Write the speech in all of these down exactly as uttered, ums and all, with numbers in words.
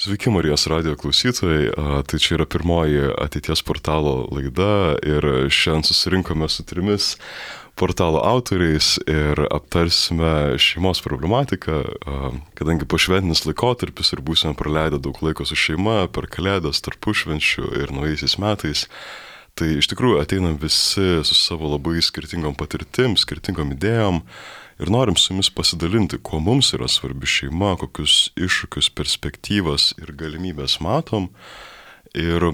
Sveiki Marijos radio klausytojai, tai čia yra pirmoji ateities portalo laida ir šiandien susirinkome su trimis portalo autoriais ir aptarsime šeimos problematiką, kadangi pošventinis laikotarpis ir būsime praleidę daug laiko su šeima per kalėdas, tarpušvenčių ir naujaisiais metais. Tai iš tikrųjų ateinam visi su savo labai skirtingom patirtim, skirtingom idėjom ir norim su jumis pasidalinti, kuo mums yra svarbi šeima, kokius iššūkius, perspektyvas ir galimybės matom. Ir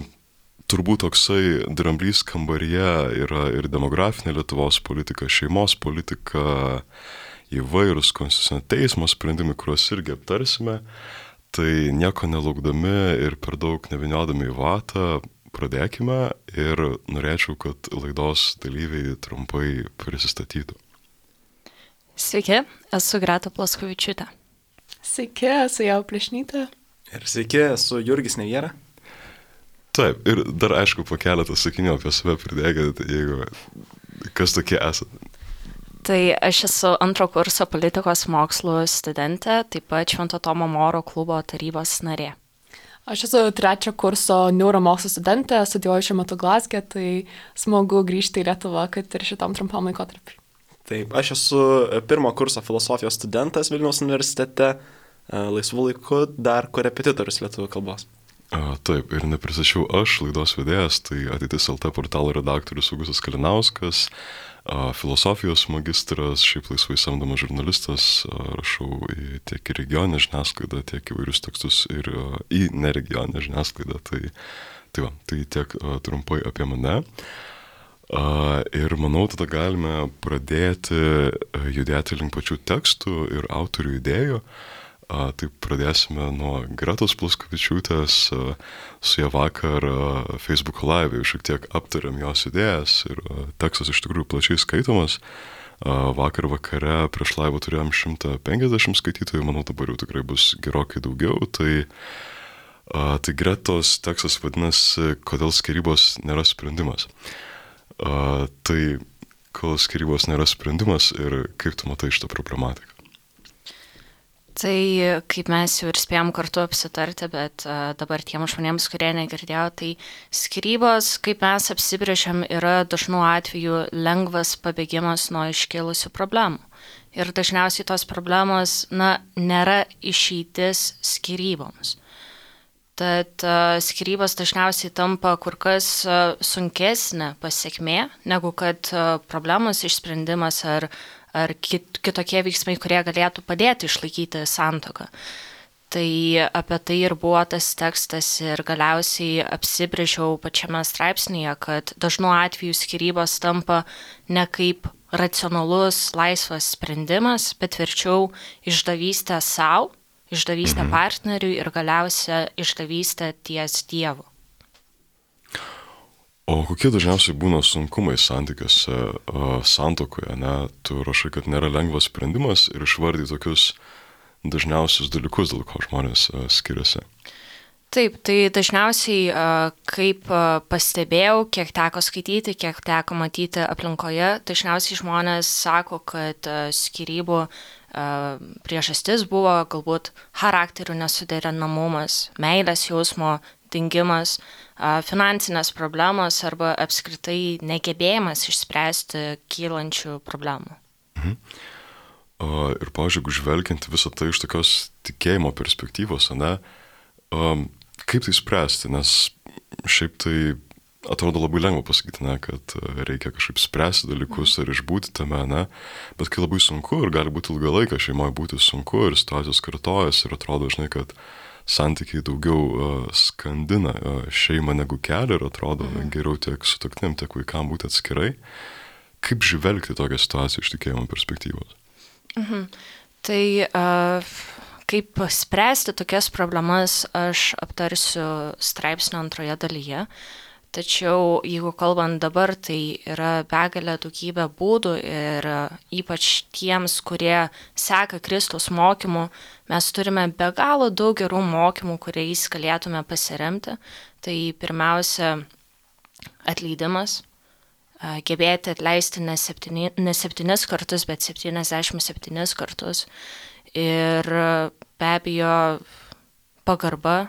turbūt toksai dramblys kambaryje yra ir demografinė Lietuvos politika, šeimos politika, įvairūs konstitucinio teismo sprendimai, kuriuos irgi aptarsime. Tai nieko nelaukdami ir per daug nevyniodami į vatą, pradėkime ir norėčiau, kad laidos dalyviai trumpai prisistatytų. Sveiki, esu Greta Plaskovičiūtė. Sveiki, esu Jau Plešnytė. Ir sveiki, esu Jurgis Neviera. Taip, ir dar aišku po keletą sakinių apie save pridėkit, jeigu kas tokie esate. Tai aš esu antro kurso politikos mokslų studentė, taip pat Švento Tomo Moro klubo tarybos narė. Aš esu trečio kurso neuromokslų studentė, studijuoju šiuo metu Glazge, tai smagu grįžti į Lietuvą, kad ir šitam trumpam laikotarpiui. Taip, aš esu pirmo kurso filosofijos studentas Vilniaus universitete, laisvų laiku dar korepetitorius lietuvių kalbos. A, taip, ir nepristačiau aš, laidos vedėjas, tai Ateitis L T portalo redaktorius Augustas Kalinauskas, a, filosofijos magistras, šiaip laisvai samdomas žurnalistas, a, rašau į, tiek į regioninę žiniasklaidą, tiek įvairius tekstus ir a, į neregioninę žiniasklaidą. Tai, tai, va, tai tiek a, trumpai apie mane. A, ir manau, tada galime pradėti judėti link pačių tekstų ir autorių idėjų. A, tai pradėsime nuo Gretos Plaskovičiūtės, a, su ją vakar a, Facebook Live jau šiek tiek aptarėm jos idėjas ir a, tekstas iš tikrųjų plačiai skaitomas. A, vakar vakare prieš live turėjom šimtą penkiasdešimt skaitytojų, manau dabar jau tikrai bus gerokai daugiau. Tai, a, tai Gretos tekstas vadinasi Kodėl skyrybos nėra sprendimas. A, tai kol skyrybos nėra sprendimas ir kaip tu matai šitą problematiką? Tai kaip mes jau ir spėjom kartu apsitarti, bet uh, dabar tiem žmonėms, kurie negirdėjo, tai skyrybos, kaip mes apsibrėžiam, yra dažnu atveju lengvas pabėgimas nuo iškilusių problemų. Ir dažniausiai tos problemos, na, nėra išeitis skyryboms. Tad uh, skyrybos dažniausiai tampa kur kas uh, sunkesnė pasiekmė, negu kad uh, problemos išsprendimas ar ar kit, kitokie veiksmai, kurie galėtų padėti išlaikyti santuoką. Tai apie tai ir buvo tas tekstas ir galiausiai apsibrėžiau pačiame straipsnėje, kad dažnu atveju skyrybos tampa ne kaip racionalus, laisvas sprendimas, bet verčiau išdavystė savo, išdavystė partneriui ir galiausia išdavystė ties Dievu. O kokie dažniausiai būna sunkumai santykiuose, santuokoje, ne? Tu rašai, kad nėra lengvas sprendimas ir išvardai tokius dažniausius dalykus, dėl ko žmonės skiriasi. Taip, tai dažniausiai, kaip pastebėjau, kiek teko skaityti, kiek teko matyti aplinkoje, dažniausiai žmonės sako, kad skyrybų priežastis buvo galbūt charakterių nesuderinamumas, meilės jausmo dingimas, finansinės problemos arba apskritai negebėjimas išspręsti kylančių problemų. Mhm. Ir, pavyzdžiui, žvelgiant visą tai iš tokios tikėjimo perspektyvos, ne, kaip tai spręsti, nes šiaip tai atrodo labai lengva pasakyti, ne, kad reikia kažkaip spręsti dalykus ar išbūti tame, ne, bet kai labai sunku ir gali būti ilgą laiką šeimoje būti sunku ir situacijos kartojasi ir atrodo, žinai, kad santykiai daugiau uh, skandina uh, šeimą negu kelia ir atrodo mhm. geriau tiek sutuoktiniam, tiek vaikam būti atskirai. Kaip žvelgti tokią situaciją iš tikėjimo perspektyvos? Mhm. Tai uh, kaip spręsti tokias problemas aš aptarsiu straipsnio antroje dalyje. Tačiau, jeigu kalbant dabar, tai yra begalė daugybė būdų ir ypač tiems, kurie seka Kristaus mokymų, mes turime be galo daug gerų mokymų, kuriais galėtume pasiremti. Tai pirmiausia, atleidimas, gebėti atleisti ne, septyni, ne septynis kartus, bet septyniasdešimt septynis kartus. Ir be abejo, pagarba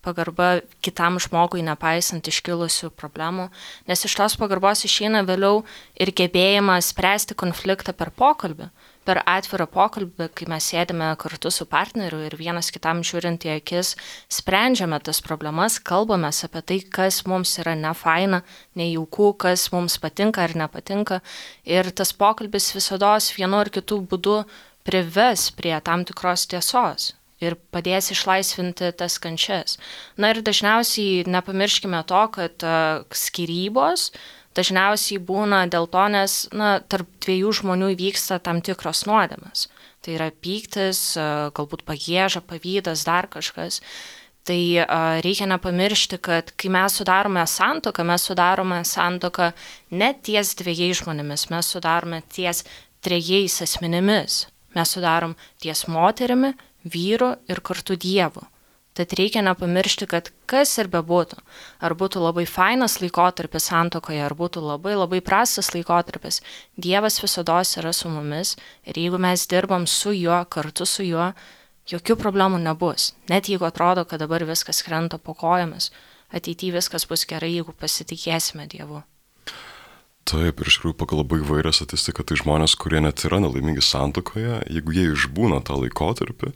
pagarba kitam žmogui nepaisant iškilusių problemų, nes iš tos pagarbos išeina vėliau ir gebėjimas spręsti konfliktą per pokalbį, per atvirą pokalbį, kai mes sėdime kartu su partneriu ir vienas kitam žiūrint į akis, sprendžiame tas problemas, kalbamės apie tai, kas mums yra nefaina, nejauku, kas mums patinka ar nepatinka, ir tas pokalbis visados vienu ar kitų būdų prives prie tam tikros tiesos ir padės išlaisvinti tas kančias. Na ir dažniausiai nepamirškime to, kad uh, skyrybos dažniausiai būna dėl to, nes na, tarp dviejų žmonių vyksta tam tikros nuodėmės. Tai yra pyktis, uh, galbūt pagieža, pavydas, dar kažkas. Tai uh, reikia nepamiršti, kad kai mes sudarome santuoką, mes sudarome santuoką ne ties dviejais žmonėmis, mes sudarome ties trejais asmenimis. Mes sudarom ties moterimi, vyru ir kartu Dievu. Tad reikia nepamiršti, kad kas ir bebūtų, ar būtų labai fainas laikotarpis santuokoje, ar būtų labai labai prastas laikotarpis, Dievas visados yra su mumis ir jeigu mes dirbam su juo, kartu su juo, jokių problemų nebus. Net jeigu atrodo, kad dabar viskas krenta po kojomis, ateityje viskas bus gerai, jeigu pasitikėsime Dievu. Taip, ir iš tikrųjų pagal labai įvairią statistiką, tai žmonės, kurie net yra nelaimingi santuokoje, jeigu jie išbūna tą laikotarpį,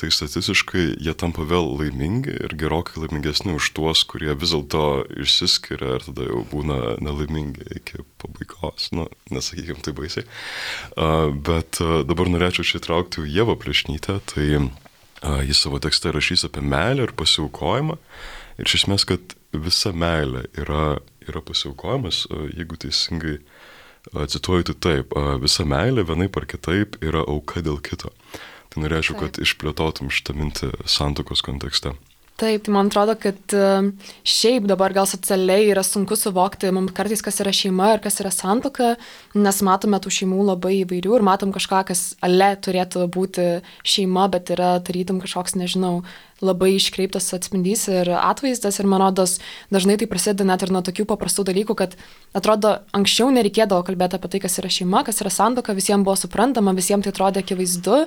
tai statistiškai jie tampa vėl laimingi ir gerokai laimingesni už tuos, kurie vis dėlto išsiskiria ir tada jau būna nelaimingi iki pabaigos. Nu, nesakykime tai baisiai. Uh, bet uh, dabar norėčiau čia įtraukti Ievą Plešnytę, tai uh, jis savo tekste rašys apie meilę ir pasiaukojimą. Ir iš esmės, kad visa meilė yra yra pasiaukojimas, jeigu teisingai cituoju, tai taip, visa meilė vienaip ar kitaip yra auka dėl kito. Tai norėčiau, kad išplėtotum šitą mintį santuokos kontekste. Taip, tai man atrodo, kad šiaip dabar gal socialiai yra sunku suvokti mums kartais, kas yra šeima ir kas yra santuoka, nes matome tų šeimų labai įvairių ir matom kažką, kas ale turėtų būti šeima, bet yra tarytum kažkoks, nežinau, labai iškreiptas atspindys ir atvaizdas ir man rodos dažnai tai prasideda net ir nuo tokių paprastų dalykų, kad atrodo anksčiau nereikėdavo kalbėti apie tai, kas yra šeima, kas yra santuoka, visiems buvo suprantama, visiems tai atrodė akivaizdu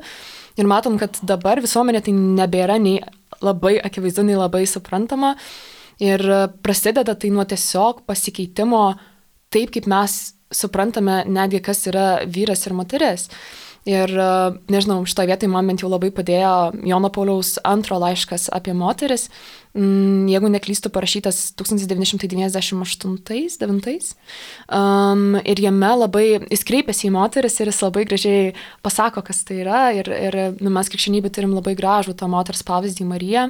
ir matom, kad dabar visuomenė tai nebėra nei labai akivaizdu, nei labai suprantama ir prasideda tai nuo tiesiog pasikeitimo taip, kaip mes suprantame netgi, kas yra vyras ir moteris. Ir, nežinau, šitoje vietoje man bent jau labai padėjo Jono Pauliaus antro laiškas apie moteris, jeigu neklystu, parašytas tūkstantis devyni šimtai devyniasdešimt aštuntais devintais. Um, ir jame labai, jis kreipiasi į moteris ir jis labai gražiai pasako, kas tai yra. Ir, ir nu, mes krikščionybė turim labai gražų tą moters pavyzdį Mariją.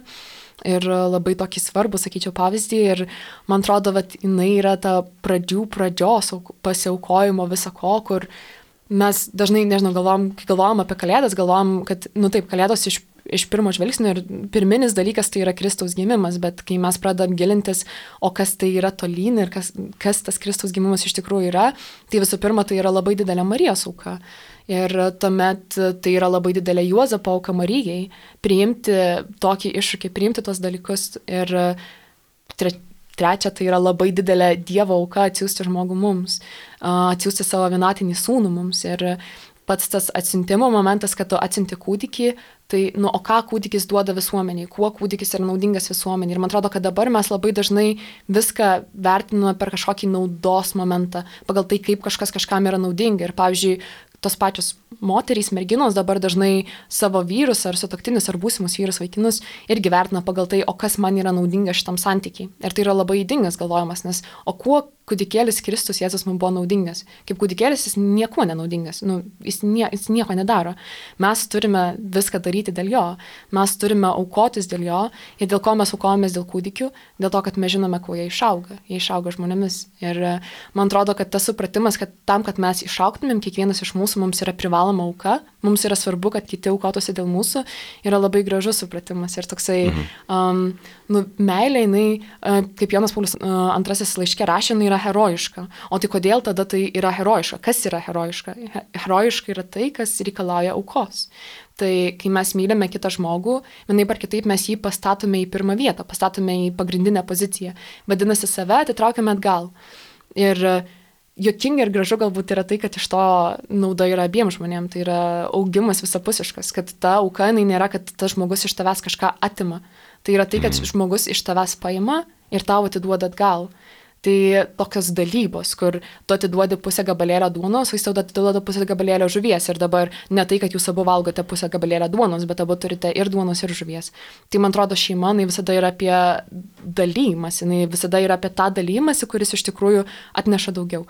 Ir labai tokį svarbų, sakyčiau, pavyzdį. Ir man atrodo, kad jinai yra ta pradžių pradžios pasiaukojimo visako, kur mes dažnai, nežinau, galvom, kai galvojam apie kalėdas, galvojam, kad, nu taip, kalėdos iš, iš pirmo žvilgsnio ir pirminis dalykas tai yra Kristaus gimimas, bet kai mes pradedam gilintis, o kas tai yra tolyn ir kas, kas tas Kristaus gimimas iš tikrųjų yra, tai visų pirma, tai yra labai didelė Marijos auka. Ir tuomet tai yra labai didelė Juozapo auka Marijai, priimti tokį iššūkį, priimti tos dalykus ir tre, Trečia, tai yra labai didelė Dievo auka atsiųsti žmogų mums, atsiųsti savo vienatinį sūnų mums. Ir pats tas atsiuntimo momentas, kad tu atsiunti kūdikį, tai, nu, o ką kūdikis duoda visuomeniai, kuo kūdikis yra naudingas visuomeniai. Ir man atrodo, kad dabar mes labai dažnai viską vertiname per kažkokį naudos momentą, pagal tai, kaip kažkas kažkam yra naudinga. Ir pavyzdžiui, tos pačios moterys, merginos dabar dažnai savo vyrus ar sutuoktinius ar būsimus vyrus, vaikinus irgi vertina pagal tai, o kas man yra naudinga šitam santykiai. Ir tai yra labai ydingas galvojimas, nes o kuo kūdikėlis Kristus Jėzus mums buvo naudingas? Kaip kūdikėlis jis nieko nenaudingas, nu, jis, nie, jis nieko nedaro. Mes turime viską daryti dėl jo, mes turime aukotis dėl jo ir dėl ko mes aukojamės dėl kūdikių, dėl to, kad mes žinome, kuo jie išauga, jie išauga žmonėmis. Ir man atrodo, kad tas supratimas, kad tam, kad mes išaugtumėm, kiekvienas iš mūsų mums yra privaloma auka, mums yra svarbu, kad kiti aukotųsi dėl mūsų, yra labai gražus supratimas. Ir toksai, mhm. um, nu, meilė, jinai, uh, kaip Jonas Paulius uh, antrasis laiške rašė, jinai yra herojiška. O tai kodėl tada tai yra herojiška? Kas yra herojiška? Herojiška yra tai, kas reikalauja aukos. Tai kai mes mylime kitą žmogų, vienaip ar kitaip mes jį pastatome į pirmą vietą, pastatome į pagrindinę poziciją. Vadinasi, save atitraukiame atgal. Ir juokinga ir gražu galbūt yra tai, kad iš to nauda yra abiem žmonėm, tai yra augimas visapusiškas, kad ta auka, jinai nėra, kad tas žmogus iš tavęs kažką atima. Tai yra tai, kad žmogus iš tavęs paima ir tau atiduoda atgal. Tai tokios dalybos, kur tu atiduodi pusę gabalėlio duonos, o jis tau atiduoda pusę gabalėlio žuvies. Ir dabar ne tai, kad jūs abu valgote pusę gabalėlio duonos, bet abu turite ir duonos, ir žuvies. Tai man atrodo, šeima, jinai visada yra apie dalymas, jinai visada yra apie tą dalymąsi, kuris iš tikrųjų atneša daugiau.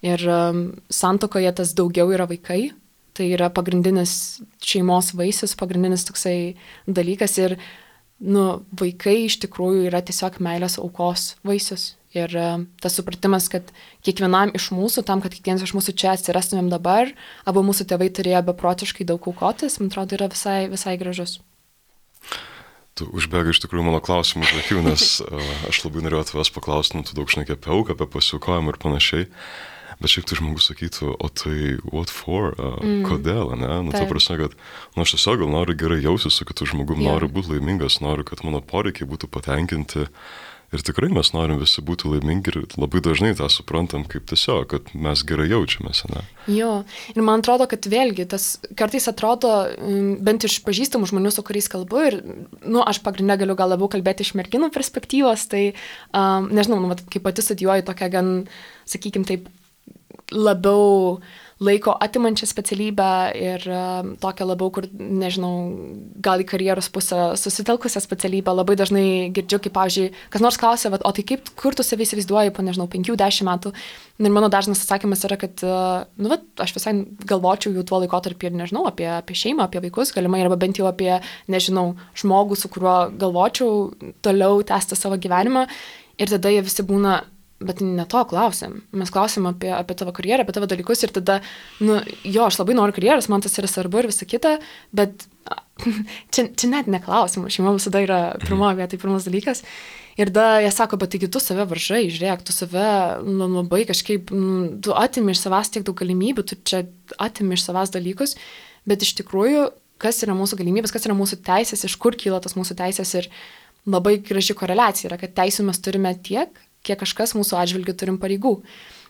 Ir um, santuokoje tas daugiau yra vaikai. Tai yra pagrindinis šeimos vaisius, pagrindinis toksai dalykas. Ir nu, vaikai iš tikrųjų yra tiesiog meilės aukos vaisius. Ir uh, tas supratimas, kad kiekvienam iš mūsų, tam, kad kiekvienas iš mūsų čia atsirastumėm dabar, abu mūsų tėvai turėjo beprotiškai daug aukotis, man atrodo, yra visai, visai gražus. Tu užbėgai iš tikrųjų mano klausimų už akių, nes uh, aš labai norėjau tavęs paklausti, nu, tu daug šnekė apie auką, apie pasiaukojimą ir panašiai. Bet šiaip tai žmogus sakytų, o tai what for, uh, mm. kodėl, ne? Nu, ta prasme, kad, nu, aš tiesiog gal noriu gerai jausis su kitu žmogum, yeah. noriu būti laimingas, noriu, kad mano poreikiai būtų patenkinti. Ir tikrai mes norim visi būti laimingi ir labai dažnai tą suprantam kaip tiesiog, kad mes gerai jaučiamės, ne? Jo, ir man atrodo, kad vėlgi, tas kartais atrodo, bent iš pažįstamų žmonių, su kuriais kalbu, ir, nu, aš pagrindinę galiu gal labiau kalbėti iš merginų perspektyvos, tai, um, nežinau, nu, kaip pati studijuoju tokią gan, sakykim taip, labiau laiko atimančią specialybę ir uh, tokią labiau, kur, nežinau, gal į karjeros pusę susitelkusią specialybę. Labai dažnai girdžiu, kaip, pavyzdžiui, kas nors klausia, o tai kaip, kur tu save įsivaizduoji po, nežinau, penkių, dešimt metų. Ir mano dažnas atsakymas yra, kad, uh, nu, vat, aš visai galvočiau jau tuo laikotarpį ir, nežinau, apie, apie šeimą, apie vaikus, galimai, arba bent jau apie, nežinau, žmogų, su kuriuo galvočiau toliau tęsti savo gyvenimą. Ir tada jie visi būna, bet ne to klausim. Mes klausim apie, apie tavo karjerą, apie tavo dalykus ir tada, nu, jo, aš labai noriu karjeros, man tas yra svarbu ir visa kita, bet čia, čia net neklausim, šeima visada yra pirmoje vietoje, tai pirmas dalykas. Ir tada jie sako, bet taigi tu save varžai, žiūrėk, tu save nu, labai kažkaip, nu, tu atimi iš savęs tiek daug galimybių, tu čia atimi iš savęs dalykus, bet iš tikrųjų, kas yra mūsų galimybės, kas yra mūsų teisės, iš kur kyla tas mūsų teisės ir labai graži koreliacija yra, kad teisų mes turime tiek, kiek kažkas mūsų atžvilgių turim pareigų.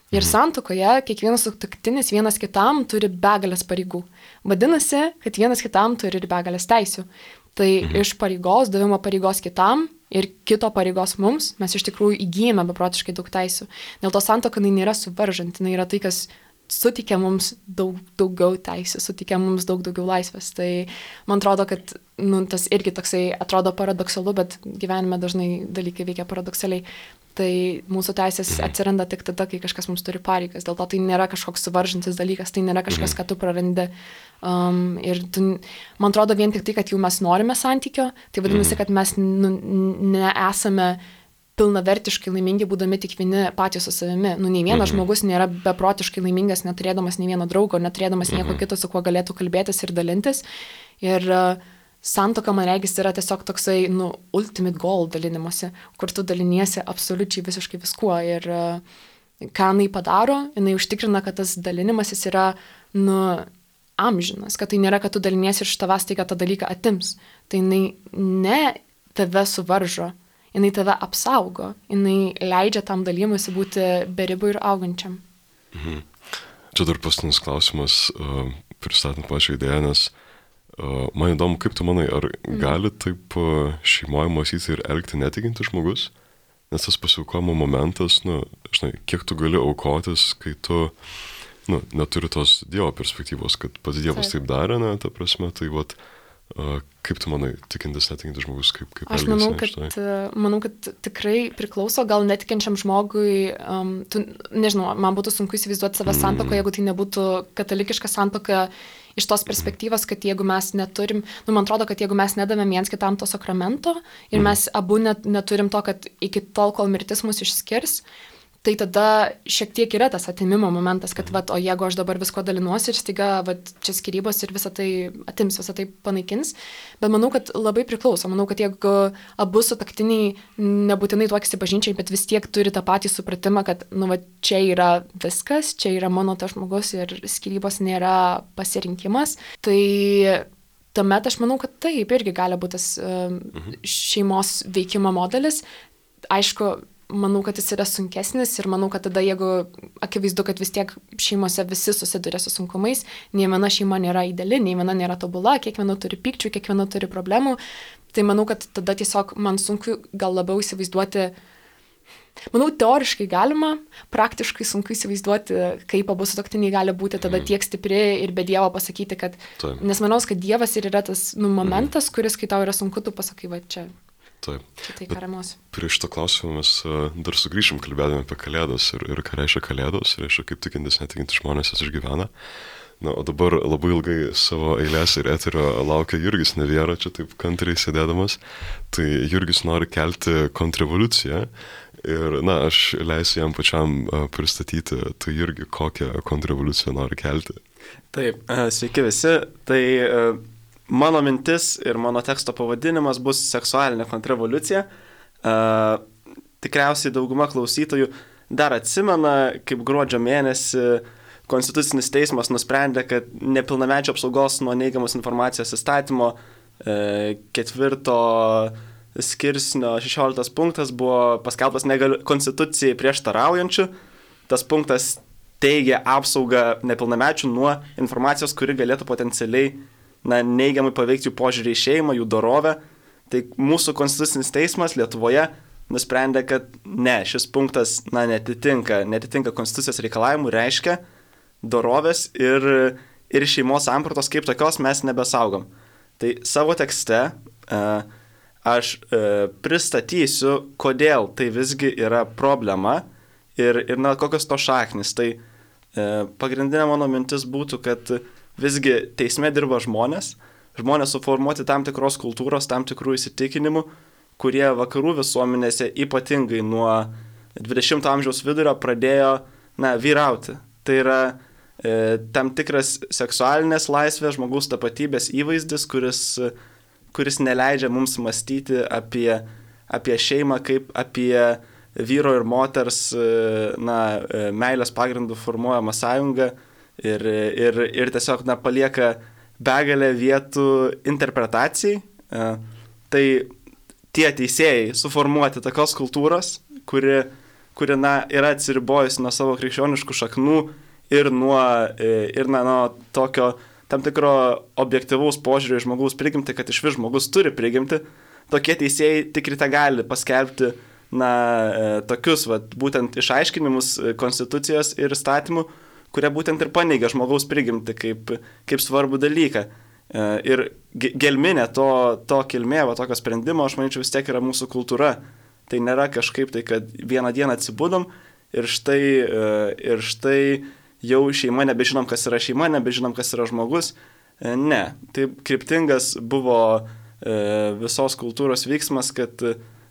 Ir santuokoje kiekvienas sutuoktinis vienas kitam turi begalės pareigų. Vadinasi, kad vienas kitam turi ir begalės teisių. Tai iš pareigos, davimo pareigos kitam ir kito pareigos mums, mes iš tikrųjų įgyjame beprotiškai daug teisių. Dėl to santuoka jinai nėra suvaržanti, jinai yra tai, kas suteikia mums daug daugiau teisių, suteikia mums daug daugiau laisvės. Tai man atrodo, kad nu, tas irgi toksai atrodo paradoksalu, bet gyvenime dažnai dalykai veikia paradoksaliai. Tai mūsų teisės atsiranda tik tada, kai kažkas mums turi pareigas. Dėl to tai nėra kažkoks suvaržantis dalykas, tai nėra kažkas, ką tu prarandi. Um, ir tu, man atrodo vien tik tai, kad jau mes norime santykio, tai vadinasi, kad mes nu, nesame pilnavertiškai laimingi, būdami tik vieni patys su savimi. Nu, nei vienas žmogus nėra beprotiškai laimingas, neturėdamas nei vieno draugo, neturėdamas nieko kito, su kuo galėtų kalbėtis ir dalintis. Ir uh, santuoka, man regis, yra tiesiog toksai, nu, ultimate goal dalinimuose, kur tu daliniesi absoliučiai visiškai viskuo. Ir uh, ką jinai padaro, jinai užtikrina, kad tas dalinimasis yra, nu, amžinas, kad tai nėra, kad tu daliniesi iš tavęs tai, kad tą dalyką atims. Tai jinai ne tave suvaržo, jinai tave apsaugo, jinai leidžia tam dalymuisi būti beribų ir augančiam. Mhm. Čia dar paskutinis klausimas, uh, pristatant pačią idėją, nes Uh, man įdomu, kaip tu manai, ar gali taip uh, šeimoje mąstyti ir elgti netikintis žmogus? Nes tas pasiaukojimo momentas, nu, žinai, kiek tu gali aukotis, kai tu, nu, neturi tos Dievo perspektyvos, kad pats Dievas taip darė, ne, ta prasme, tai vat, uh, kaip tu manai, tikintis, netikintis žmogus, kaip, kaip Aš elgesi? manau, kad, manau, kad tikrai priklauso, gal netikinčiam žmogui, um, tu, nežinau, man būtų sunku įsivaizduoti save santuokoje, jeigu tai nebūtų katalikiška santuoka, iš tos perspektyvos, kad jeigu mes neturim, nu, man atrodo, kad jeigu mes nedavėm viens kitam to sakramento ir mes abu net, neturim to, kad iki tol, kol mirtis mus išskirs, tai tada šiek tiek yra tas atimimo momentas, kad, vat, o jeigu aš dabar visko dalinuosi ir staiga, vat, čia skyrybos ir visą tai atims, visą tai panaikins, bet manau, kad labai priklauso. Manau, kad jeigu abu sutuoktiniai nebūtinai tuokiasi bažnyčiai, bet vis tiek turi tą patį supratimą, kad, nu, va, čia yra viskas, čia yra mano tas žmogus ir skyrybos nėra pasirinkimas, tai tuomet aš manau, kad taip irgi gali būti tas uh, šeimos veikimo modelis. Aišku, manau, kad jis yra sunkesnis ir manau, kad tada, jeigu akivaizdu, kad vis tiek šeimose visi susiduria su sunkumais, nei viena šeima nėra ideali, nei viena nėra tobula, kiekviena turi pykčių, kiekviena turi problemų, tai manau, kad tada tiesiog man sunku gal labiau įsivaizduoti. Manau, teoriškai galima, praktiškai sunku įsivaizduoti, kaip abu sutuoktiniai gali būti tada tiek stipri ir be Dievo pasakyti, kad... Taip. Nes manau, kad Dievas ir yra tas nu, momentas, kuris, kai tau yra sunku, tu pasakai, va čia. Taip. Čia tai karamos. Prieš šitą klausimą mes uh, dar sugrįšim kalbėdami apie Kalėdas ir, ir ką reiškia Kalėdos, reiškia kaip tikintis, netikintis žmonės jas išgyvena. Na, o dabar labai ilgai savo eilės ir eterio laukia Jurgis Neviera, čia taip kantriai sėdėdamas. Tai Jurgis nori kelti kontrrevoliuciją. Ir, na, aš leisiu jam pačiam pristatyti, tai irgi kokią kontrrevoliuciją nori kelti. Taip, sveiki visi. Tai mano mintis ir mano teksto pavadinimas bus seksualinė kontrrevoliucija. Tikriausiai dauguma klausytojų dar atsimena, kaip gruodžio mėnesį Konstitucinis teismas nusprendė, kad nepilnamečio apsaugos nuo neigiamos informacijos įstatymo ketvirto skirsnio šešioliktas punktas buvo paskelbtas negali, konstitucijai prieštaraujančiu. Tas punktas teigia apsaugą nepilnamečių nuo informacijos, kuri galėtų potencialiai na, neigiamai paveikti jų požiūrį į šeimą, jų dorovę. Tai mūsų Konstitucinis teismas Lietuvoje nusprendė, kad ne, šis punktas na, netitinka, netitinka konstitucijos reikalavimų, reiškia dorovės ir, ir šeimos sampratos kaip tokios mes nebesaugom. Tai savo tekste uh, aš e, pristatysiu, kodėl tai visgi yra problema ir, ir na, kokios to šaknis. Tai e, pagrindinė mano mintis būtų, kad visgi teisme dirba žmonės, žmonės suformuoti tam tikros kultūros, tam tikrų įsitikinimų, kurie vakarų visuomenėse ypatingai nuo dvidešimto amžiaus vidurio pradėjo na, vyrauti. Tai yra e, tam tikras seksualinės laisvės, žmogaus tapatybės įvaizdis, kuris kuris neleidžia mums mąstyti apie, apie šeimą kaip apie vyro ir moters na, meilės pagrindų formuojamą sąjungą ir, ir, ir tiesiog na, palieka begalę vietų interpretacijai. Tai tie teisėjai suformuoti tokios kultūros, kuri, kuri na, yra atsiribojusi nuo savo krikščioniškų šaknų ir nuo, ir, na, nuo tokio tam tikro objektyvaus požiūrio į žmogaus prigimtį, kad iš vis žmogus turi prigimtį, tokie teisėjai tik ryte gali paskelbti na, tokius vat, būtent išaiškinimus konstitucijos ir įstatymų, kurie būtent ir paneigia žmogaus prigimtį kaip, kaip svarbų dalyką. Ir gelminė to, to kilmė, va, tokio sprendimo, aš manyčiau, vis tiek yra mūsų kultūra. Tai nėra kažkaip tai, kad vieną dieną atsibudom ir štai, ir štai jau šeima, nebežinom, kas yra šeima, nebežinom, kas yra žmogus. Ne, tai kryptingas buvo visos kultūros veiksmas, kad,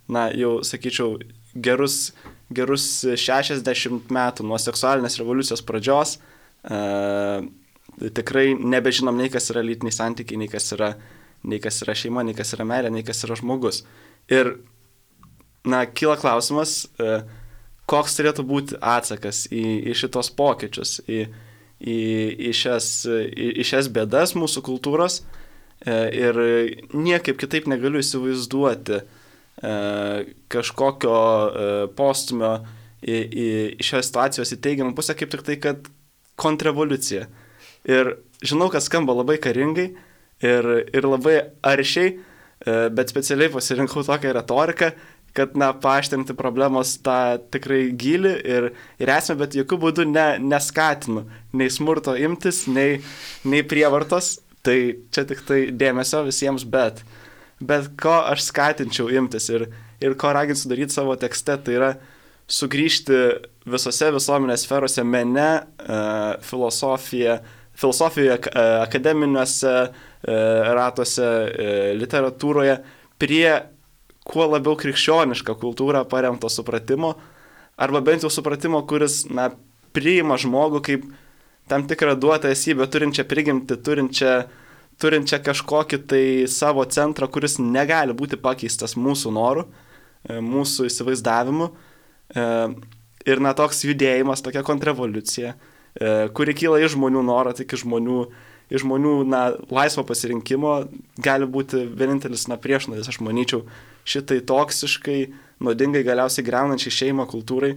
na, jau, sakyčiau, gerus, gerus šešiasdešimt metų nuo seksualinės revoliucijos pradžios tikrai nebežinom nei kas yra lytiniai santykiai, nei kas yra, nei kas yra šeima, nei kas yra meilė, nei kas yra žmogus. Ir, na, kyla klausimas, koks turėtų būti atsakas į, į šitos pokyčius, į, į, į, šias, į, į šias bėdas mūsų kultūros ir niekaip kitaip negaliu įsivaizduoti kažkokio postumio į, į, į šios situacijos į teigiamą pusę, kaip tik tai, kad kontrrevoliucija. Ir žinau, kad skamba labai karingai ir, ir labai aršiai, bet specialiai pasirinkau tokią retoriką, kad, na, paaštrinti problemos tą tikrai gilį ir, ir esmę, bet jokių būdų ne, neskatinu nei smurto imtis, nei, nei prievartos, tai čia tik tai dėmesio visiems, bet, bet ko aš skatinčiau imtis ir, ir ko raginsiu daryti savo tekste, tai yra sugrįžti visose visuomenės sferose, mene, filosofija, filosofijoje, akademiniuose ratuose, literatūroje, prie kuo labiau krikščionišką kultūrą paremto supratimo, arba bent jau supratimo, kuris, na, priima žmogų kaip tam tikrą duotą esybę, turinčią prigimtį, turinčią, turinčią kažkokį tai savo centrą, kuris negali būti pakeistas mūsų norų, mūsų įsivaizdavimu. Ir, na, toks judėjimas, tokia kontrrevoliucija, kuri kyla iš žmonių noro, tik iš žmonių iš žmonių, na, laisvo pasirinkimo gali būti vienintelis, na, priešnuodis, aš manyčiau, šitai toksiškai, nuodingai, galiausiai greunančiai šeimą kultūrai,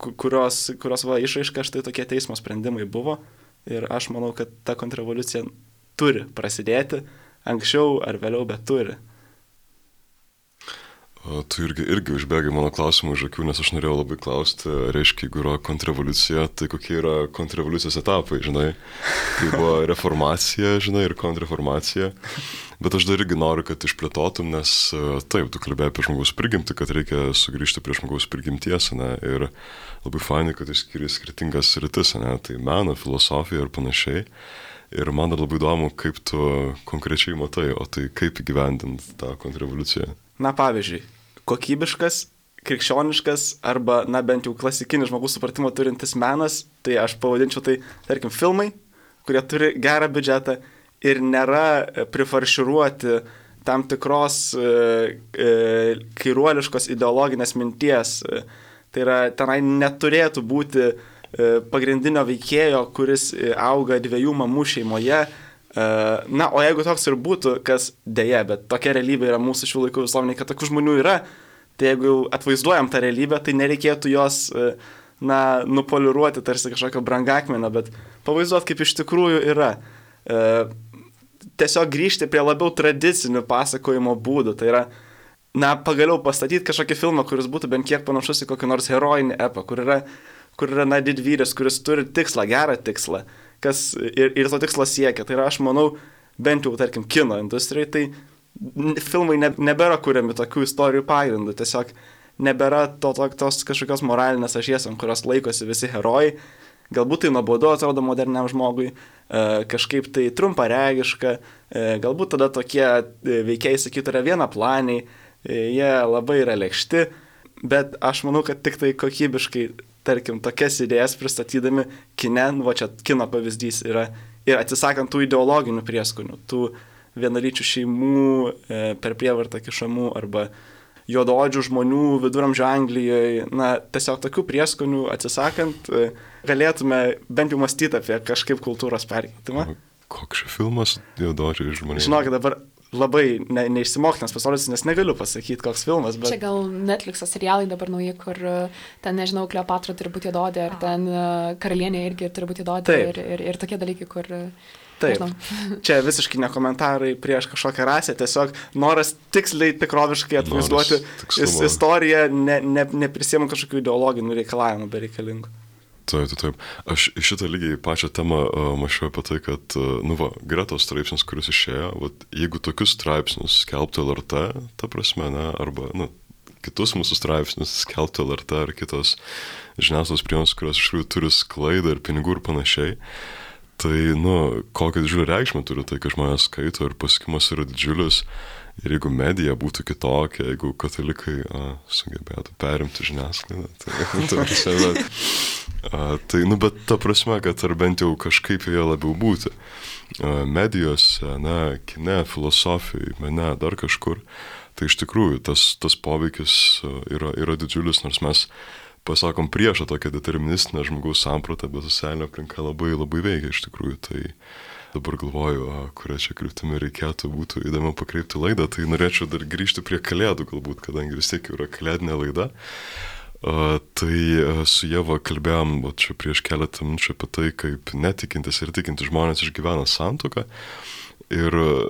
kurios, kurios va, išraiška štai tokie teismo sprendimai buvo. Ir aš manau, kad ta kontrrevoliucija turi prasidėti, anksčiau ar vėliau, bet turi. Tu irgi, irgi užbėgai mano klausimų už akių, nes aš norėjau labai klausti, reiškia, jeigu yra kontrrevoliucija, tai kokie yra kontrrevoliucijos etapai, žinai, kai buvo reformacija, žinai, ir kontrreformacija. Bet aš dar irgi noriu, kad išplėtotum, nes taip, tu kalbėjai apie žmogaus prigimtį, kad reikia sugrįžti prie žmogaus prigimties, ne, ir labai fainai, kad išskiri skirtingas sritis, ne, tai meną, filosofiją ir panašiai. Ir man dar labai įdomu, kaip tu konkrečiai matai, o tai kaip įgyvendinti tą kontrrevoliuciją. Na, pavyzdžiui, kokybiškas, krikščioniškas arba, na, bent jau klasikinis žmogaus supratimą turintis menas, tai aš pavadinčiau tai, tarkim, filmai, kurie turi gerą biudžetą ir nėra prifarširuoti tam tikros e, e, kairuoliškos ideologinės minties. Tai yra, tenai neturėtų būti e, pagrindinio veikėjo, kuris auga dviejų mamų šeimoje. Na, o jeigu toks ir būtų, kas dėja, bet tokia realybė yra mūsų šių laikų visuomenė, kad tokių žmonių yra, tai jeigu jau atvaizduojam tą realybę, tai nereikėtų jos, na, nupoliruoti tarsi kažkokio brangakmenio, bet pavaizduoti, kaip iš tikrųjų yra. Tiesiog grįžti prie labiau tradicinių pasakojimo būdų, tai yra, na, pagaliau pastatyti kažkokį filmą, kuris būtų bent kiek panašus į kokį nors herojinį epą, kur yra, kur yra, na, didvyris, kuris turi tikslą, gerą tikslą. Kas ir, ir to tikslo siekia. Tai yra, aš manau, bent jau, tarkim, kino industrijai, tai filmai ne, nebėra kuriami tokių istorijų pagrindų. Tiesiog nebėra to, to, tos kažkokios moralinės ašies, ant kurios laikosi visi herojai. Galbūt tai nuobodu atrodo moderniam žmogui, e, kažkaip tai trumparegiška, e, galbūt tada tokie veikėjai, sakytų, yra vienaplaniai, e, jie labai yra lėkšti, bet aš manau, kad tik tai kokybiškai, tarkim, tokias idėjas pristatydami kine, nu, va čia kino pavyzdys yra, ir atsisakant tų ideologinių prieskonių, tų vienalyčių šeimų e, per prievartą kišamų arba juodaodžių žmonių viduramžių Anglijoje, na, tiesiog tokių prieskonių atsisakant, e, galėtume bent jau mąstyti apie kažkaip kultūros perkeitimą. Koks šis filmas juodaodžiai žmonės? Žinokit, dabar labai ne, neišsimoktinas pasaulis, nes negaliu pasakyti, koks filmas, bet... Čia gal Netflix'o serialai dabar nauji, kur ten, nežinau, Kleopatra turi būti juododė, ar ten karalienė irgi turi būti juododė, ir, ir, ir tokie dalykai, kur... Taip, nežinau. Čia visiškai ne komentarai prieš kažkokią rasę, tiesiog noras tiksliai, tikroviškai atvaizduoti istoriją, ne, ne, neprisiemant kažkokių ideologinių reikalavimų bereikalingų. Taip, taip, taip. Aš iš šitą lygiai pačią temą uh, mačiau apie tai, kad, uh, nu va, Gretos straipsnis, kuris išėjo, vat, jeigu tokius straipsnius skelbtų L R T, ta prasme, ne, arba, nu, kitus mūsų straipsnius skelbtų L R T ar kitos žiniasklaidos priemonės, kurios iš tikrųjų turi sklaidą ir pinigų ir panašiai, tai, nu, kokią didžiulį reikšmę turi tai, kad žmonės skaito ir pasiekimas yra didžiulis. Ir jeigu medija būtų kitokia, jeigu katalikai a, sugebėtų perimti žiniasklaidą, tai, ta prasme, a, tai, nu, bet ta prasme, kad ar bent jau kažkaip joje labiau būti. A, medijose, na, kine, filosofijai, mene, dar kažkur, tai iš tikrųjų tas, tas poveikis yra, yra didžiulis, nors mes pasakom priešą tokią deterministinę žmogaus sampratą, bet socialinė aplinka labai, labai veikia iš tikrųjų, tai dabar galvoju, kurią čia kryptimi reikėtų būtų įdomu pakreipti laidą, tai norėčiau dar grįžti prie kalėdų galbūt, kadangi vis tiek yra kalėdinė laida. Uh, tai uh, su Ieva kalbėjom va, čia prieš keletą minučių apie tai, kaip netikintis ir tikintis žmonės išgyvena santuoką. Ir uh,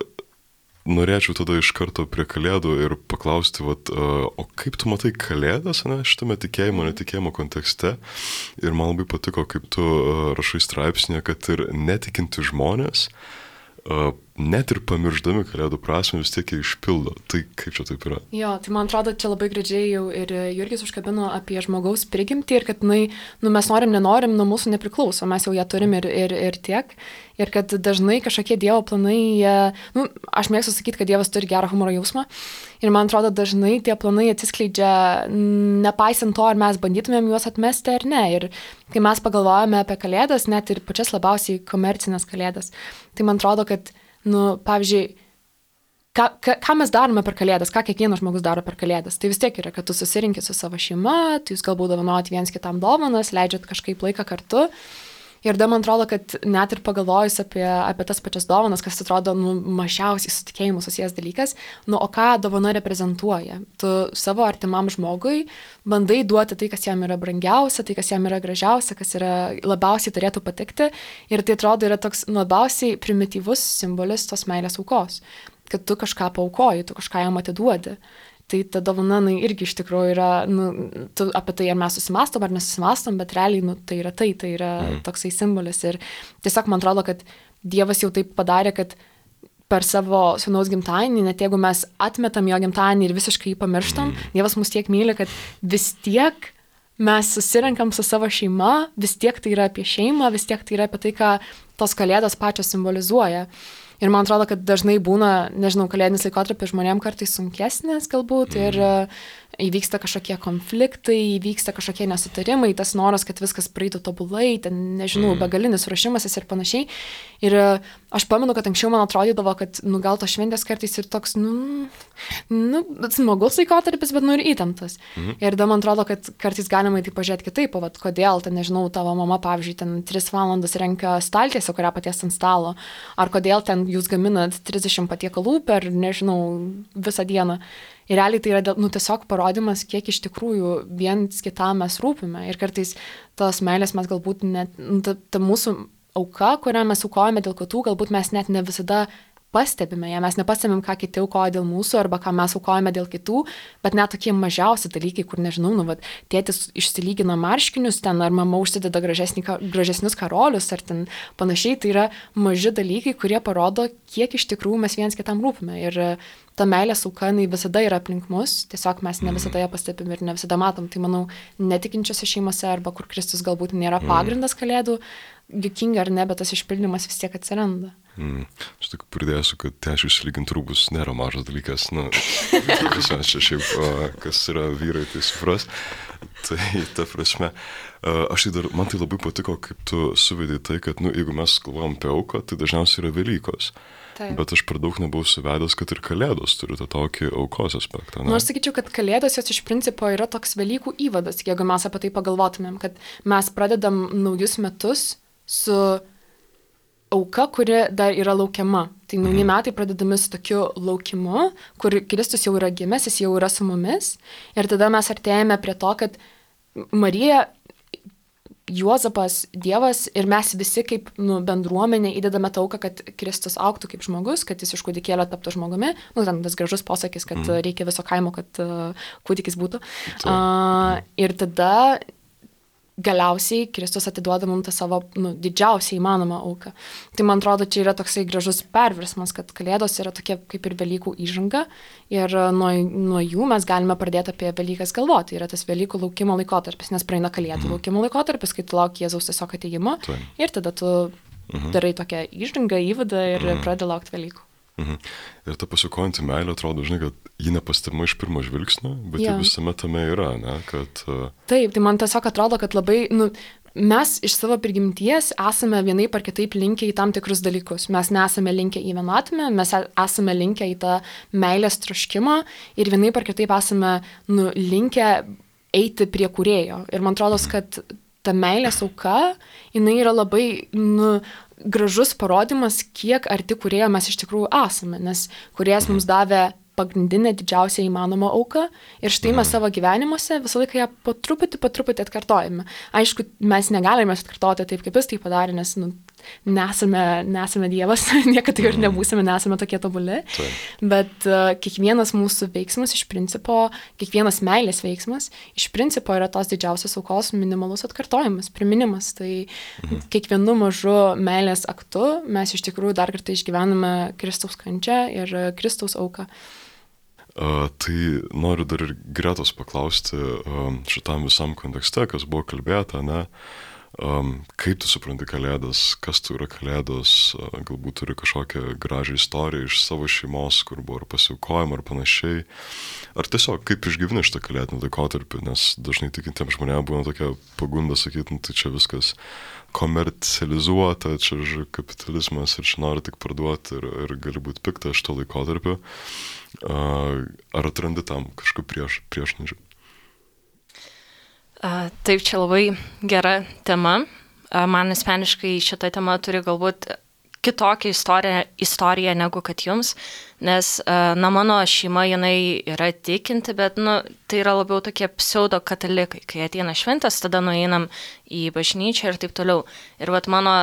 norėčiau tada iš karto prie kalėdų ir paklausti, vat, uh, o kaip tu matai kalėdas, ne, šitame tikėjimo, netikėjimo kontekste. Ir man labai patiko, kaip tu uh, rašai straipsnėje, kad ir netikinti žmonės, uh, net ir pamirždami kalėdų prasmę vis tiek jie išpildo. Tai kaip čia taip yra? Jo, tai man atrodo, čia labai gražiai jau ir Jurgis užkabino apie žmogaus prigimtį ir kad, nu, nu mes norim, nenorim, nuo mūsų nepriklauso, mes jau ją turim ir, ir, ir tiek. Ir kad dažnai kažkokie Dievo planai, jie, nu, aš mėgstu sakyti, kad Dievas turi gerą humoro jausmą. Ir man atrodo, dažnai tie planai atsiskleidžia nepaisant to, ar mes bandytumėm juos atmesti ar ne. Ir kai mes pagalvojame apie kalėdas, net ir pačias labiausiai komercinės kalėdas, tai man atrodo, kad, nu, pavyzdžiui, ką, ką, ką mes darome per kalėdas, ką kiekvienas žmogus daro per kalėdas, tai vis tiek yra, kad tu susirinkit su savo šeima, tai jūs galbūt dovanojat viens kitam dovanas, leidžiat kažkaip laiką kartu. Ir da man atrodo, kad net ir pagalvojus apie, apie tas pačias dovanas, kas atrodo nu, mažiausiai su tikėjimu susijęs dalykas, nu o ką dovana reprezentuoja? Tu savo artimam žmogui bandai duoti tai, kas jam yra brangiausia, tai, kas jam yra gražiausia, kas yra labiausiai turėtų patikti. Ir tai atrodo yra toks labiausiai primityvus simbolis tos meilės aukos, kad tu kažką paaukoji, tu kažką jam atiduodi. Tai ta dovana nu, irgi iš tikrųjų yra, nu, tu apie tai ar mes susimastom ar nesusimastom, bet realiai nu, tai yra tai, tai yra mm. toksai simbolis. Ir tiesiog man atrodo, kad Dievas jau taip padarė, kad per savo sūnaus gimtadienį, net jeigu mes atmetam jo gimtadienį ir visiškai jį pamirštam, mm. Dievas mus tiek myli, kad vis tiek mes susirenkam su savo šeima, vis tiek tai yra apie šeimą, vis tiek tai yra apie tai, ką tos kalėdos pačios simbolizuoja. Ir man atrodo, kad dažnai būna, nežinau, kalėdinis laikotarpis žmonėm kartais sunkesnis galbūt ir įvyksta kažkokie konfliktai, įvyksta kažkokie nesutarimai, tas noras, kad viskas praeitų tobulai, ten, nežinau, begalinis ruošimasis ir panašiai. Ir aš pamenu, kad anksčiau man atrodydavo, kad, nu, gal tos šventės kartais ir toks, nu, nu smagus laikotarpis, bet, nu, ir įtemptas. Mhm. Ir da man atrodo, kad kartais galima į tai pažiūrėti kitaip, o vat, kodėl, ten, nežinau, tavo mama, pavyzdžiui, ten tris valandas renka staltiesę, kurią paties ant stalo, ar kodėl ten jūs gaminat trisdešimt patiekalų per, nežinau, visą dieną. Ir realiai tai yra nu, tiesiog parodimas, kiek iš tikrųjų viens kitam mes rūpime. Ir kartais tos meilės mes galbūt net, nu, ta, ta mūsų auka, kurią mes aukojame dėl kitų, galbūt mes net ne visada pastebime ją, mes nepastebim, ką kiti aukoja dėl mūsų arba ką mes aukojame dėl kitų, bet net tokie mažiausi dalykai, kur nežinau, nu, vat, tėtis išsilygina marškinius ten, ar mama užsideda gražesnį, gražesnius karolius, ar ten panašiai, tai yra maži dalykai, kurie parodo, kiek iš tikrųjų mes viens kitam rūpime. Ir ta meilės auka, jinai visada yra aplink mus, tiesiog mes ne visada ją pastebim ir ne visada matom. Tai manau, netikinčiose šeimose arba kur Kristus galbūt nėra pagrindas kalėdų, juokinga ar ne, bet tas išpildymas vis tiek atsiranda. Mm. Aš tik pridėsiu, kad tešių išsilyginti rūbus nėra mažas dalykas. Nu, čia šiaip, kas yra vyrai, tai supras. Tai ta prasme, aš tai dar, man tai labai patiko, kaip tu suvedai tai, kad, nu, jeigu mes galvojam apie auką, tai dažniausiai yra Velykos. Taip. Bet aš per daug nebuvau suvedęs, kad ir Kalėdos turi tą tokį aukos aspektą. Ne? Nu, aš sakyčiau, kad Kalėdos jos iš principo yra toks Velykų įvadas, jeigu mes apie tai pagalvotumėm, kad mes pradedam naujus metus su auka, kuri dar yra laukiama. Tai nauji mhm. metai pradedami su tokiu laukimu, kur Kristus jau yra gimęs, jis jau yra su mumis. Ir tada mes artėjame prie to, kad Marija, Juozapas, Dievas ir mes visi kaip nu, bendruomenė įdedame tą auką, kad Kristus augtų kaip žmogus, kad jis iš kūdikėlio taptų žmogumi. Nu, ten tas gražus posakis, kad mm. reikia viso kaimo, kad uh, kūdikis būtų. Uh, ir tada galiausiai Kristus atiduoda mums tą savo nu, didžiausią įmanomą auką. Tai man atrodo, čia yra toksai gražus perversmas, kad Kalėdos yra tokia kaip ir Velykų įžanga ir nuo, nuo jų mes galime pradėti apie Velykas galvoti. Yra tas Velykų laukimo laikotarpis, nes praeina Kalėdų mm. laukimo laikotarpis, kai tu lauki Jėzaus tiesiog atėjimo tai. Ir tada tu mm-hmm. darai tokią įžangą, įvadą ir mm. pradedi laukti Velykų. Mhm. Ir ta pasikojanti meilė atrodo, žinai, kad ji nepastebima iš pirmo žvilgsnio, bet ja. Ji visame tame yra, ne, kad... Uh... Taip, tai man tiesiog atrodo, kad labai, nu, mes iš savo prigimties esame vienaip ar kitaip linkę į tam tikrus dalykus. Mes nesame linkę į vienatvę, mes esame linkę į tą meilės troškimą ir vienaip ar kitaip esame, nu, linkę eiti prie kūrėjo. Ir man atrodo, kad ta meilės auka, jinai yra labai, nu, gražus parodimas, kiek arti kūrėjo mes iš tikrųjų esame, nes kūrėjas mums davė pagrindinę didžiausią įmanomą auką ir štai mes savo gyvenimuose visą laiką ją po truputį, po truputį atkartojame. Aišku, mes negalime atkartoti taip, kaip jis tai padarė, nes nu, nesame, nesame Dievas, niekada ir nebūsime, nesame tokie tobuli, bet uh, kiekvienas mūsų veiksmas iš principo, kiekvienas meilės veiksmas iš principo yra tos didžiausios aukos minimalus atkartojimas, priminimas. Tai mhm. kiekvienu mažu meilės aktu mes iš tikrųjų dar kartą išgyvename Kristaus kančią ir Kristaus auką. Uh, tai noriu dar ir Gretos paklausti uh, šitam visam kontekste, kas buvo kalbėta, ne? Um, kaip tu supranti Kalėdas, kas tu yra Kalėdos, uh, galbūt turi kažkokią gražią istoriją iš savo šeimos, kur buvo ar pasiaukojama ar panašiai, ar tiesiog kaip išgyveni šitą kalėdinį laikotarpį, nes dažnai tikintiems žmonėms būna tokia pagunda sakyti, nu, tai čia viskas komercializuota, čia kapitalizmas ir čia nori tik parduoti ir, ir gali būti pikta šito laikotarpio. Uh, ar atrandi tam kažką prieš, priešnuodžių? Uh, taip, čia labai gera tema. man asmeniškai šita tema turi galbūt kitokią istoriją, istoriją negu kad jums, nes, na, mano šeima, jinai yra tikinti, bet, nu, tai yra labiau tokie pseudo katalikai. Kai ateina šventės, tada nueinam į bažnyčią ir taip toliau. Ir vat mano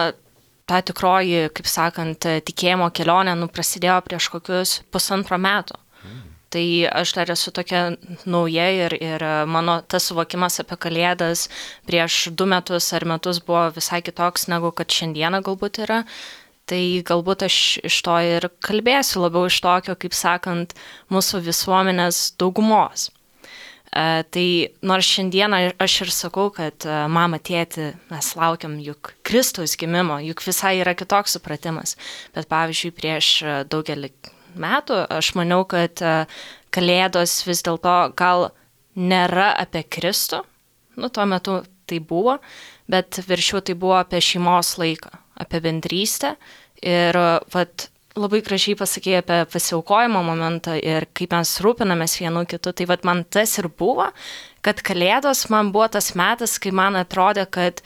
ta tikroji, kaip sakant, tikėjimo kelionė, nu, prasidėjo prieš kokius pusantro metų. Mm. Tai aš dar esu tokia nauja ir, ir mano tas suvokimas apie Kalėdas prieš du metus ar metus buvo visai kitoks, negu kad šiandieną galbūt yra. Tai galbūt aš iš to ir kalbėsiu, labiau iš tokio, kaip sakant, mūsų visuomenės daugumos. E, tai nors šiandieną aš ir sakau, kad e, mama, tėti, mes laukiam juk Kristaus gimimo, juk visai yra kitoks supratimas. Bet pavyzdžiui, prieš daugelį metų aš maniau, kad e, Kalėdos vis dėlto gal nėra apie Kristų, nu tuo metu tai buvo, bet viršiau tai buvo apie šeimos laiką, apie bendrystę ir vat, labai gražiai pasakė apie pasiaukojimo momentą ir kaip mes rūpinamės vienu kitu. Tai vat, man tas ir buvo, kad Kalėdos man buvo tas metas, kai man atrodė, kad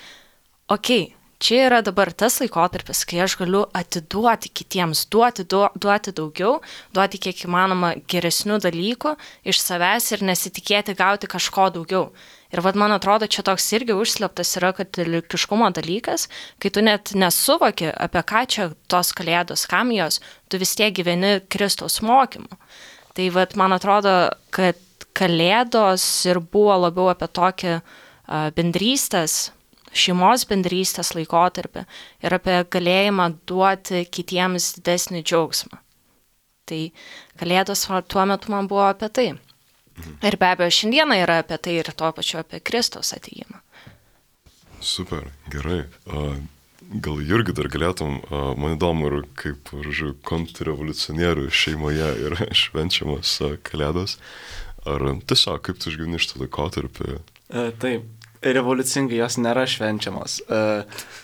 okei, okay, čia yra dabar tas laikotarpis, kai aš galiu atiduoti kitiems, duoti, du, duoti daugiau, duoti kiek įmanoma geresnių dalykų iš savęs ir nesitikėti gauti kažko daugiau. Ir vad, man atrodo, čia toks irgi užslėptas yra katalikiškumo dalykas, kai tu net nesuvoki, apie ką čia tos Kalėdos, kam jos, tu vis tiek gyveni Kristaus mokymu. Tai vad, man atrodo, kad Kalėdos ir buvo labiau apie tokį uh, bendrystės, šeimos bendrystės laikotarpį ir apie galėjimą duoti kitiems didesnį džiaugsmą. Tai Kalėdos tuo metu man buvo apie tai. Ir be abejo, šiandieną yra apie tai ir tuo pačiu apie Kristaus atėjimą. Super, gerai. Gal Jurgi dar galėtum, man įdomu, ir kaip kontrrevoliucionierių šeimoje yra švenčiamas Kalėdos. Ar tiesiog, kaip tu išgyveni šitą laikotarpį? E, taip. Revoliucingai jos nėra švenčiamos.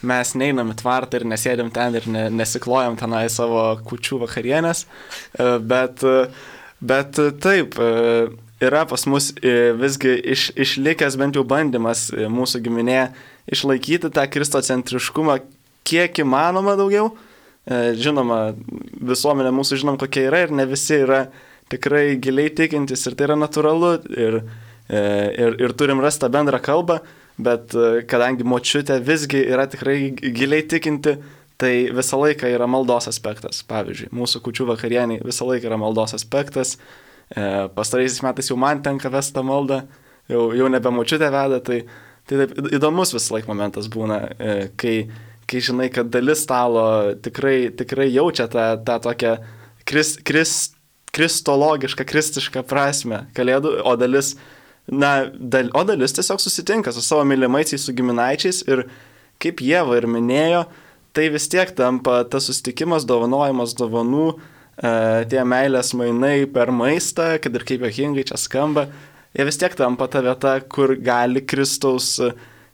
Mes neinam į tvartą ir nesėdėm ten ir ne, nesiklojam tenai savo kūčių vakarienės, bet, bet taip, yra pas mus visgi iš, išlikęs bent jau bandymas mūsų giminėje išlaikyti tą kristocentriškumą kiek įmanoma daugiau. Žinoma, visuomenė mūsų žinom kokia yra ir ne visi yra tikrai giliai tikintis ir tai yra natūralu ir Ir, ir turim rastą bendrą kalbą, bet kadangi močiutė visgi yra tikrai giliai tikinti, tai visą laiką yra maldos aspektas. Pavyzdžiui, mūsų kūčių vakarieniai visą laiką yra maldos aspektas. E, pastaraisiais metais jau man tenka vesta maldą, jau, jau nebe močiutė veda, tai, tai taip, įdomus visą laiką momentas būna, e, kai, kai žinai, kad dalis stalo tikrai, tikrai jaučia tą, tą tokią kris, kris, kristologišką, kristišką prasme kalėdų, o dalis Na, dal, o dalis tiesiog susitinka su savo mylimaisiais, su giminaičiais ir kaip Ieva ir minėjo, tai vis tiek tampa tas susitikimas, dovanojimas dovanų, e, tie meilės mainai per maistą, kad ir kaip juokingai čia skamba, jie vis tiek tampa ta vieta, kur gali Kristaus,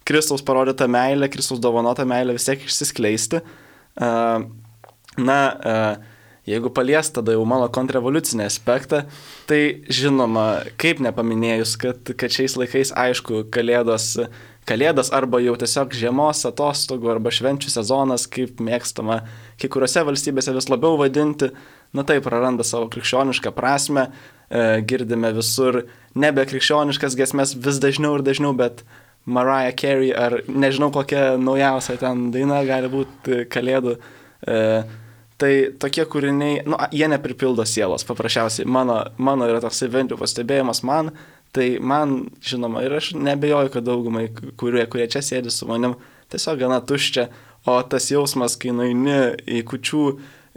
Kristaus parodytą meilę, Kristaus dovanotą meilę vis tiek išsiskleisti. E, na, e, Jeigu palies tada jau mano kontrrevoliucinį aspektą, tai žinoma, kaip nepaminėjus, kad, kad šiais laikais, aišku, kalėdos, kalėdos arba jau tiesiog žiemos atostogų arba švenčių sezonas, kaip mėgstama kai kuriuose valstybėse vis labiau vadinti, na tai praranda savo krikščionišką prasme, e, girdime visur nebe krikščioniškas giesmes vis dažniau ir dažniau, bet Mariah Carey ar nežinau kokia naujausia ten daina gali būti kalėdų. E, Tai tokie kūriniai, nu, jie nepripildo sielos, paprasčiausiai. Mano, mano yra toks bent jau pastebėjimas man, tai man, žinoma, ir aš nebejoju, kad daugumai, kurie, kurie čia sėdi su manim, tiesiog gana tuščia, o tas jausmas, kai nueini į kūčių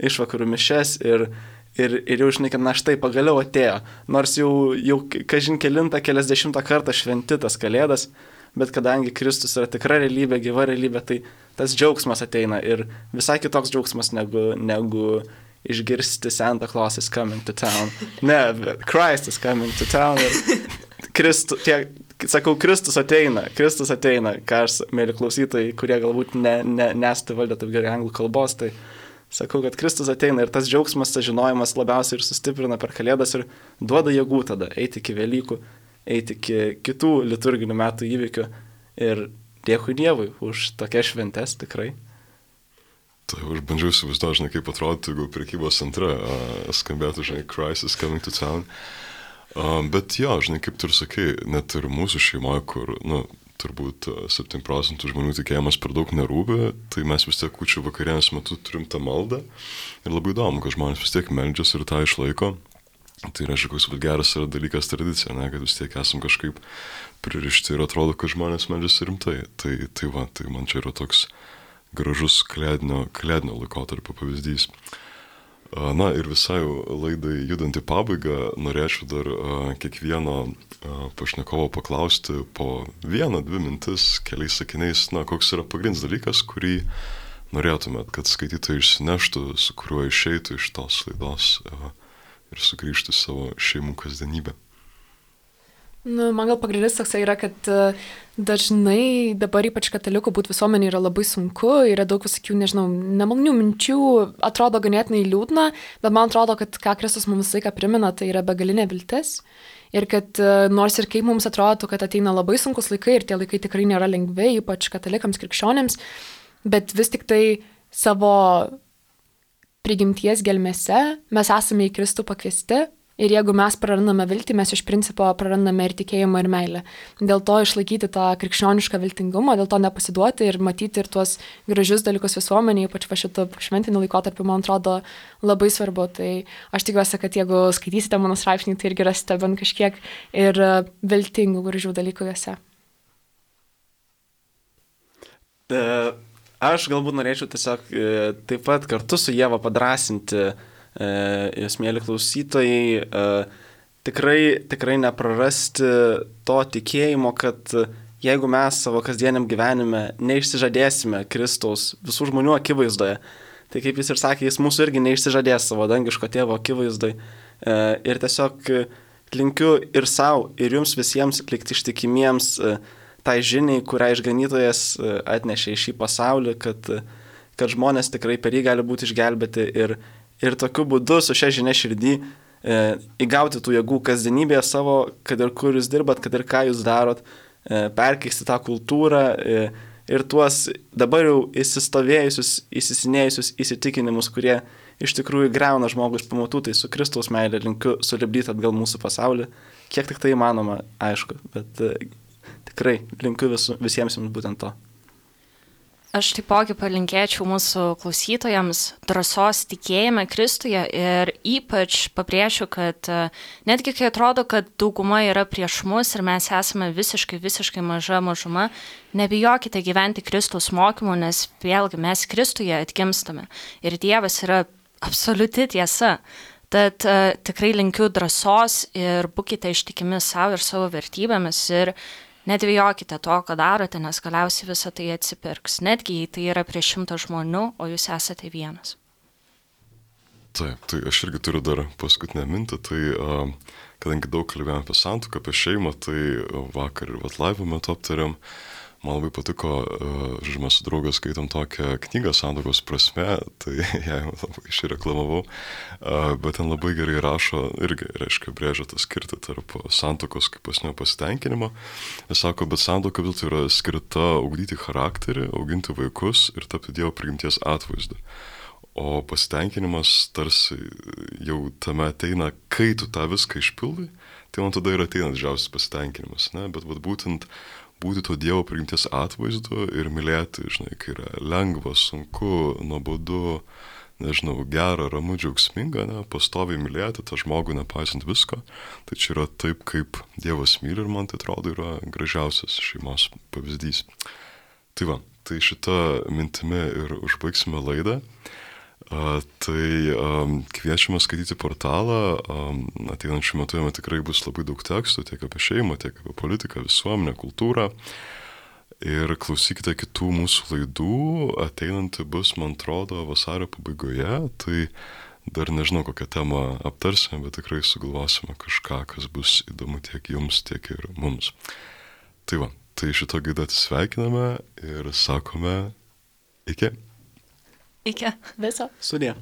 išvakarų mišes ir, ir, ir jau žinai, kad na štai pagaliau atėjo. Nors jau, jau kažin kelintą, keliasdešimtą kartą šventi tas Kalėdas, bet kadangi Kristus yra tikra realybė, gyva realybė, tai tas džiaugsmas ateina ir visai kitoks džiaugsmas negu, negu išgirsti Santa Claus is coming to town. Ne, Christ is coming to town. Kristu, tie, sakau, Kristus ateina, Kristus ateina, ką aš, mėly klausytojai, kurie galbūt ne, ne, nesate valdę taip gerai anglų kalbos, tai sakau, kad Kristus ateina ir tas džiaugsmas, tas žinojimas labiausiai ir sustiprina per Kalėdas ir duoda jėgų tada eiti iki Velykų, eiti iki kitų liturginių metų įvykių ir dėkui Dievui už tokias šventes tikrai. Tai aš bandžiau įsivaizduoti, žinai, kaip atrodytų, jeigu prekybos centre uh, skambėtų, žinai, Crisis Coming to Town. Uh, bet jo, žinai, kaip tu ir sakai, net ir mūsų šeimoje, kur, nu, turbūt septyni procentų žmonių tikėjimas per daug nerūpi, tai mes vis tiek kūčių vakarienės metu turim tą maldą. Ir labai įdomu, kad žmonės vis tiek meldžiasi ir tą išlaiko. Tai reiškia, koks geras yra dalykas tradicija, ne, kad vis tiek esam kažkaip pririšti ir atrodo, kad žmonės meldžiasi rimtai. Tai, tai va, tai man čia yra toks gražus kalėdinio, kalėdinio laikotarpio pavyzdys. Na ir visai laidai judant į pabaigą, norėčiau dar uh, kiekvieno uh, pašnekovo paklausti po vieną, dvi mintis, keliais sakiniais, na, koks yra pagrindinis dalykas, kurį norėtumėt, kad skaitytojai išsineštų, su kuriuo išeitų iš tos laidos uh, ir sugrįžtų į savo šeimų kasdienybę. Nu, man gal pagrindinis toksai yra, kad uh, dažnai dabar ypač katalikų būti visuomenė yra labai sunku, yra daug visokių, nežinau, nemalonių minčių, atrodo ganėtinai liūdna, bet man atrodo, kad ką Kristus mums visą laiką primena, tai yra begalinė viltis. Ir kad uh, nors ir kaip mums atrodo, kad ateina labai sunkus laikai ir tie laikai tikrai nėra lengvi, ypač katalikams, krikščionėms, bet vis tik tai savo prigimties gelmėse mes esame į Kristų pakviesti. Ir jeigu mes prarandame viltį, mes iš principo prarandame ir tikėjimą, ir meilę. Dėl to išlaikyti tą krikščionišką viltingumą, dėl to nepasiduoti ir matyti ir tuos gražius dalykus visuomenėje, ypač va šitą šventinį laikotarpį, man atrodo, labai svarbu. Tai aš tikiuosi, kad jeigu skaitysite mano straipsnį, tai irgi rasite bent kažkiek ir viltingų, gražių dalykų juose. Aš galbūt norėčiau tiesiog taip pat kartu su Ieva padrasinti jūs, mėly klausytojai, tikrai, tikrai neprarasti to tikėjimo, kad jeigu mes savo kasdieniam gyvenime neišsižadėsime Kristaus visų žmonių akivaizdoje, tai kaip jis ir sakė, jis mūsų irgi neišsižadės savo dangiško tėvo akivaizdoje. Ir tiesiog linkiu ir savo, ir jums visiems likti ištikimiems tai žiniai, kurią išganytojas atnešė į šį pasaulį, kad, kad žmonės tikrai per jį gali būti išgelbėti ir Ir tokiu būdu su šia žinia širdį e, įgauti tų jėgų kasdienybėje savo, kad ir kur jūs dirbat, kad ir ką jūs darot, e, perkeisti tą kultūrą e, ir tuos dabar jau įsistovėjusius, įsisinėjusius įsitikinimus, kurie iš tikrųjų greuna žmogus pamatų, tai su Kristaus meilė linkiu sulipdyti atgal mūsų pasaulį, kiek tik tai įmanoma, aišku, bet e, tikrai linkiu visu, visiems jums būtent to. Aš taipogi palinkėčiau mūsų klausytojams drąsos tikėjime Kristuje ir ypač pabrėšiu, kad netgi kai atrodo, kad dauguma yra prieš mus ir mes esame visiškai, visiškai maža mažuma, nebijokite gyventi Kristaus mokymu, nes vėlgi mes Kristuje atgimstame ir Dievas yra absoliuti tiesa. Tad uh, tikrai linkiu drąsos ir būkite ištikimi savo ir savo vertybėmis ir nedvejokite to, ką darote, nes galiausiai visą tai atsipirks. Netgi jei tai yra prieš šimtą žmonių, o jūs esate vienas. Taip, tai aš irgi turiu dar paskutinę mintį. Tai uh, kadangi daug kalbėjome apie santuoką, apie šeimą, tai vakar ir vat laivo metu aptarėm. Man labai patiko, uh, žinoma, su draugas skaitom tokią knygą Santuokos prasme, tai ją labai išreklamavau, uh, bet ten labai gerai rašo, irgi, reiškia, brėžia tą skirtį tarp santuokos kaip asmenio pasitenkinimo. Jis sako, bet santuoka vis dėlto yra skirta ugdyti charakterį, auginti vaikus ir tapti Dievo prigimties atvaizdu. O pasitenkinimas tarsi jau tame ateina, kai tu tą viską išpildai, tai man tada ir ateina didžiausias pasitenkinimas, ne? Bet vat būtent būti to Dievo prigimties atvaizdu ir mylėti, žinai, kai yra lengva, sunku, nuobodu, nežinau, gera, ramu, džiaugsminga, ne, pastoviai mylėti tą žmogų, nepaisant visko. Tai čia yra taip, kaip Dievas myli ir man tai atrodo yra gražiausias šeimos pavyzdys. Tai va, tai šitą mintimį ir užbaigsime laidą. Uh, tai um, kviečiame skaityti portalą, um, ateinančiu metu jame tikrai bus labai daug tekstų, tiek apie šeimą, tiek apie politiką, visuomenę, kultūrą. Ir klausykite kitų mūsų laidų, ateinanti bus, man atrodo, vasario pabaigoje, tai dar nežinau, kokią temą aptarsime, bet tikrai sugalvosime kažką, kas bus įdomu tiek jums, tiek ir mums. Tai va, tai šito gaidą atsisveikiname ir sakome iki. Iki. Viso. Sudie.